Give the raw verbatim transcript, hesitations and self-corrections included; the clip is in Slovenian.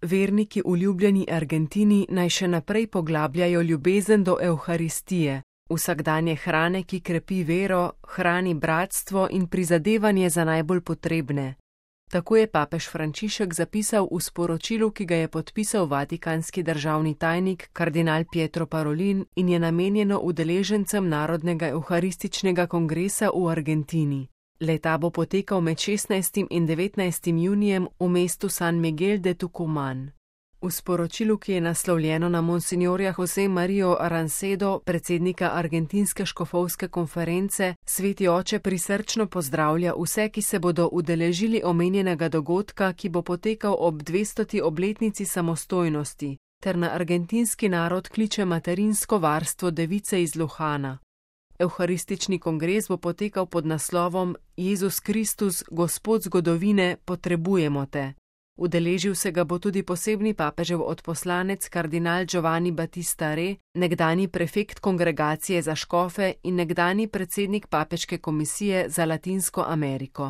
Verniki v ljubljeni Argentini naj še naprej poglabljajo ljubezen do Evharistije, vsakdanje hrane, ki krepi vero, hrani bratstvo in prizadevanje za najbolj potrebne. Tako je papež Frančišek zapisal v sporočilu, ki ga je podpisal vatikanski državni tajnik kardinal Pietro Parolin in je namenjeno udeležencem Narodnega evharističnega kongresa v Argentini. Le-ta bo potekal med šestnajstim in devetnajstim junijem v mestu San Miguel de Tucumán. V sporočilu, ki je naslovljeno na monsignorja Jose Mario Arancedo, predsednika Argentinske škofovske konference, sveti oče prisrčno pozdravlja vse, ki se bodo udeležili omenjenega dogodka, ki bo potekal ob dvestoti obletnici samostojnosti, ter na argentinski narod kliče materinsko varstvo device iz Luhana. Evharistični kongres bo potekal pod naslovom Jezus Kristus, Gospod zgodovine, potrebujemo te. Udeležil se ga bo tudi posebni papežev odposlanec kardinal Giovanni Battista Re, nekdanji prefekt kongregacije za škofe in nekdanji predsednik papeške komisije za Latinsko Ameriko.